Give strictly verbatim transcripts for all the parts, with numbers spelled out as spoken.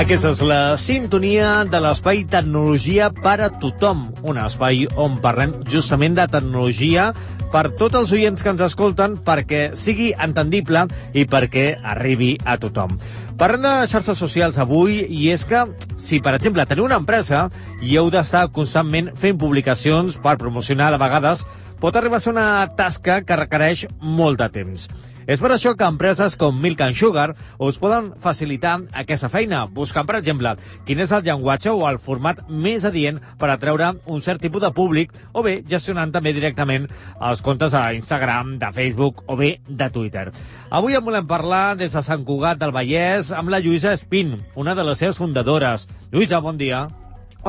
Aquesta és la sintonia de l'espai Tecnologia per a tothom, un espai on parlem justament de tecnologia per tots els oients que ens escolten, perquè sigui entendible i perquè arribi a tothom. Parlem de xarxes socials avui, i és que, si per exemple teniu una empresa i heu d'estar constantment fent publicacions per promocionar, a vegades pot arribar a ser una tasca que requereix molt de temps. És per això que empreses com Milk and Sugar us poden facilitar aquesta feina, buscant, per exemple, quin és el llenguatge o el format més adient per atreure un cert tipus de públic, o bé gestionant també directament els comptes a Instagram, de Facebook o bé de Twitter. Avui en volem parlar des de Sant Cugat del Vallès amb la Lluïsa Espín, una de les seves fundadores. Lluïsa, bon dia.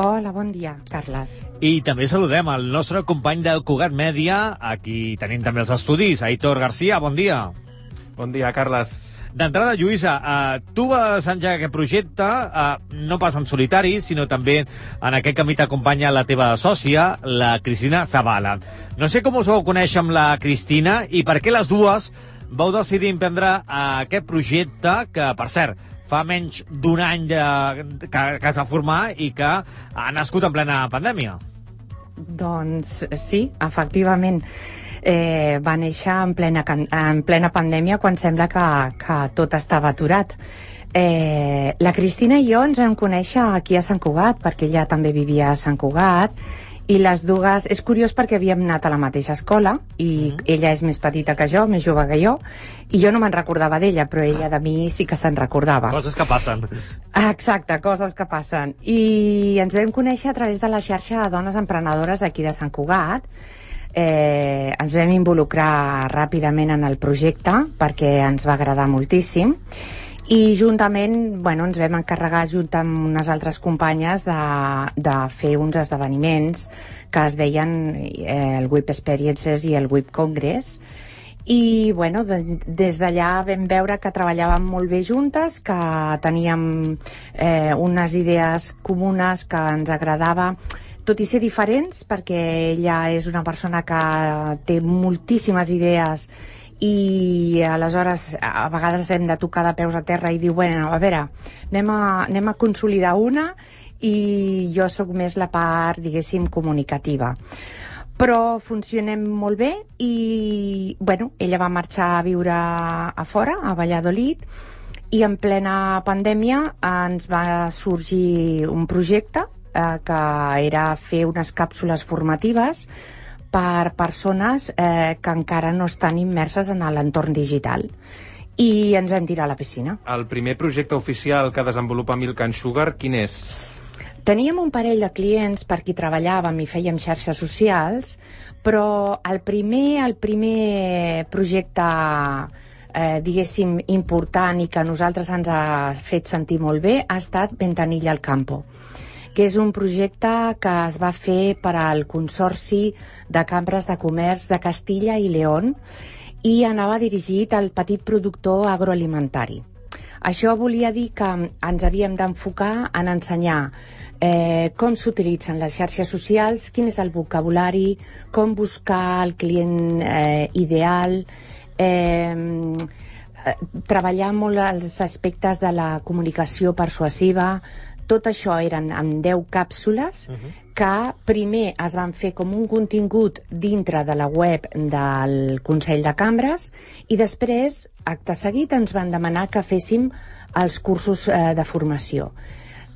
Hola, bon dia, Carles. I també saludem el nostre company de Cugat Mèdia, aquí tenim també els estudis, Aitor García, bon dia. Bon dia, Carles. D'entrada, Lluïsa, eh, tu vas engegar aquest projecte, eh, no pas en solitari, sinó també en aquest camí t'acompanya la teva sòcia, la Cristina Zavala. No sé com us vau conèixer amb la Cristina i per què les dues vau decidir emprendre eh, aquest projecte que, per cert, fa menys d'un any de, que, que es va formar i que ha nascut en plena pandèmia. Doncs sí, efectivament. Eh, va néixer en plena, en plena pandèmia, quan sembla que, que tot estava aturat. Eh, la Cristina i jo ens vam conèixer aquí a Sant Cugat, perquè ella també vivia a Sant Cugat, i les dues... És curiós perquè havíem anat a la mateixa escola, i mm. ella és més petita que jo, més jove que jo, i jo no me'n recordava d'ella, però ella de mi sí que se'n recordava. Coses que passen. Exacte, coses que passen. I ens vam conèixer a través de la xarxa de dones emprenedores aquí de Sant Cugat. Eh, ens vam involucrar ràpidament en el projecte perquè ens va agradar moltíssim, i juntament, bueno, ens vam encarregar junt amb unes altres companyes de, de fer uns esdeveniments que es deien eh, el Web Experiences i el Web Congress, i bueno, de, des d'allà vam veure que treballàvem molt bé juntes, que teníem eh, unes idees comunes que ens agradava, tot i ser diferents, perquè ella és una persona que té moltíssimes idees i aleshores a vegades hem de tocar de peus a terra i dir, bueno, a veure, anem a, anem a consolidar una, i jo sóc més la part, diguéssim, comunicativa. Però funcionem molt bé i, bueno, ella va marxar a viure a fora, a Valladolid, i en plena pandèmia ens va sorgir un projecte que era fer unes càpsules formatives per persones eh, que encara no estan immerses en l'entorn digital. I ens vam tirar a la piscina. El primer projecte oficial que desenvolupa Milk and Sugar, quin és? Teníem un parell de clients per qui treballàvem i fèiem xarxes socials, però el primer, el primer projecte eh, diguéssim important i que a nosaltres ens ha fet sentir molt bé ha estat Ventanilla al Campo, que és un projecte que es va fer per al Consorci de Cambres de Comerç de Castilla i León, i anava dirigit al petit productor agroalimentari. Això volia dir que ens havíem d'enfocar en ensenyar eh, com s'utilitzen les xarxes socials, quin és el vocabulari, com buscar el client eh, ideal, eh, treballar molt els aspectes de la comunicació persuasiva. Tot això eren en deu càpsules uh-huh. que primer es van fer com un contingut dintre de la web del Consell de Cambres, i després, acte seguit, ens van demanar que féssim els cursos eh, de formació.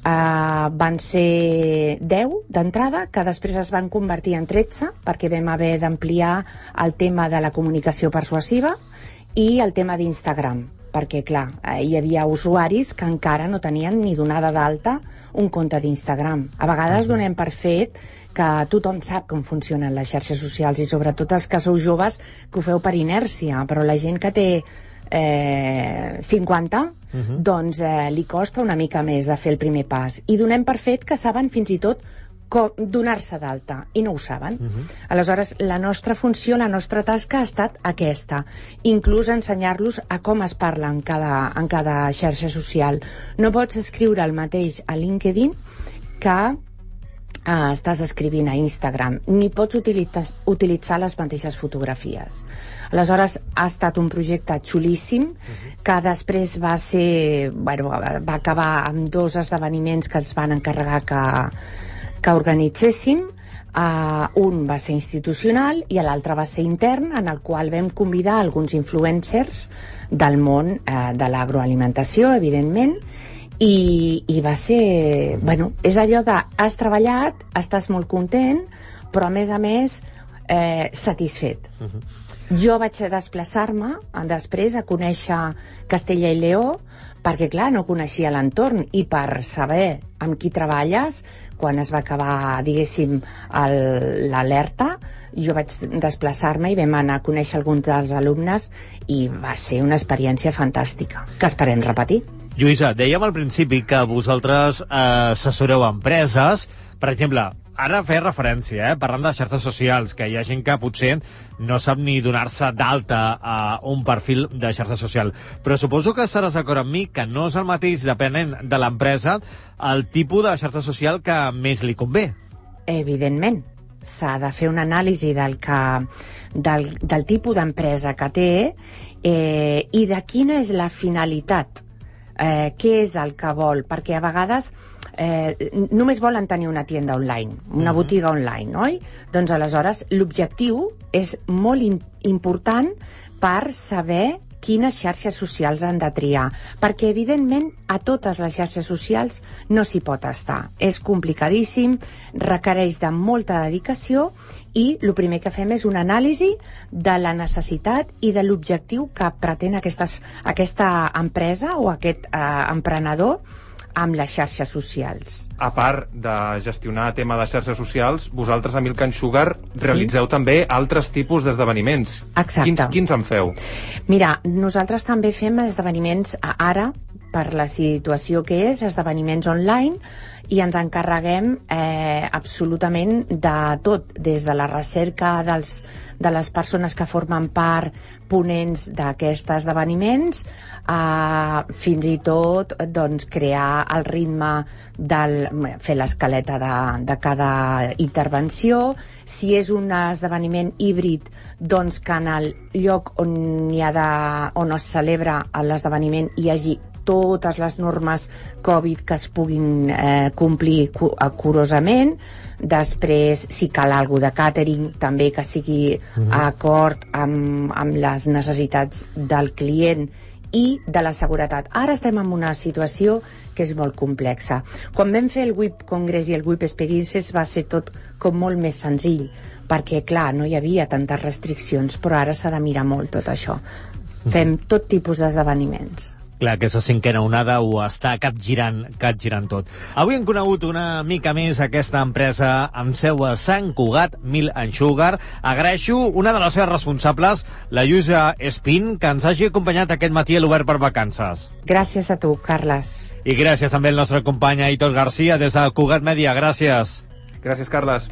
Uh, van ser deu d'entrada, que després es van convertir en tretze, perquè vam haver d'ampliar el tema de la comunicació persuasiva i el tema d'Instagram, perquè, clar, hi havia usuaris que encara no tenien ni donada d'alta un compte d'Instagram. A vegades uh-huh. donem per fet que tothom sap com funcionen les xarxes socials, i sobretot els que sou joves que ho feu per inèrcia, però la gent que té eh, cinquanta, uh-huh. doncs eh, li costa una mica més de fer el primer pas, i donem per fet que saben fins i tot com donar-se d'alta, i no ho saben. Uh-huh. Aleshores, la nostra funció, la nostra tasca ha estat aquesta, inclús ensenyar-los a com es parla en cada, en cada xarxa social. No pots escriure el mateix a LinkedIn que Uh, estàs escrivint a Instagram, ni pots utilitzar, utilitzar les mateixes fotografies. Aleshores, ha estat un projecte xulíssim, uh-huh. que després va ser, bueno, va acabar amb dos esdeveniments que ens van encarregar que, que organitzéssim. Uh, un va ser institucional i l'altre va ser intern, en el qual vam convidar alguns influencers del món uh, de l'agroalimentació, evidentment, I, i va ser, bueno, és allò de has treballat, estàs molt content, però a més a més eh, satisfet. Uh-huh. Jo vaig desplaçar-me després a conèixer Castella i Lleó, perquè clar, no coneixia l'entorn, i per saber amb qui treballes, quan es va acabar, diguéssim, l'alerta, jo vaig desplaçar-me i vam anar a conèixer alguns dels alumnes i va ser una experiència fantàstica, que esperem repetir. Lluïsa, dèiem al principi que vosaltres eh, assessoreu empreses, per exemple, ara feia referència, eh, parlant de xarxes socials, que hi ha gent que potser no sap ni donar-se d'alta a un perfil de xarxa social, però suposo que estaràs d'acord amb mi que no és el mateix, depenent de l'empresa, el tipus de xarxa social que més li convé. Evidentment, s'ha de fer una anàlisi del, que, del, del tipus d'empresa que té eh, i de quina és la finalitat. Eh, què és el que vol, perquè a vegades eh, només volen tenir una tienda online, una uh-huh. botiga online, oi? Doncs aleshores l'objectiu és molt in- important per saber quines xarxes socials han de triar, perquè evidentment a totes les xarxes socials no s'hi pot estar. És complicadíssim, requereix de molta dedicació i el primer que fem és una anàlisi de la necessitat i de l'objectiu que pretén aquestes, aquesta empresa o aquest eh, emprenedor amb les xarxes socials. A part de gestionar tema de xarxes socials, vosaltres a Milk and Sugar realitzeu sí? també altres tipus d'esdeveniments. Exacte. Quins, quins en feu? Mira, nosaltres també fem esdeveniments ara, per la situació que és, esdeveniments online, i ens encarreguem eh, absolutament de tot, des de la recerca dels, de les persones que formen part ponents d'aquests esdeveniments, a fins i tot doncs, crear el ritme del, fer l'escaleta de, de cada intervenció. Si és un esdeveniment híbrid, doncs que en el lloc on, hi ha de, on es celebra l'esdeveniment hi hagi totes les normes Covid que es puguin eh, complir cu- curosament. Després, si cal alguna de catering, també que sigui uh-huh. acord amb, amb les necessitats del client i de la seguretat. Ara estem en una situació que és molt complexa. Quan vam fer el W I P Congress i el W I P Experiences va ser tot com molt més senzill, perquè, clar, no hi havia tantes restriccions, però ara s'ha de mirar molt tot això. Fem tot tipus d'esdeveniments. Clar, aquesta cinquena onada ho està capgirant, capgirant tot. Avui hem conegut una mica més aquesta empresa amb seu a Sant Cugat, Milk and Sugar. Agraeixo una de les seves responsables, la Lluïsa Espín, que ens hagi acompanyat aquest matí a l'Obert per Vacances. Gràcies a tu, Carles. I gràcies també al nostre company Aitor Garcia des de Cugat Mèdia. Gràcies. Gràcies, Carles.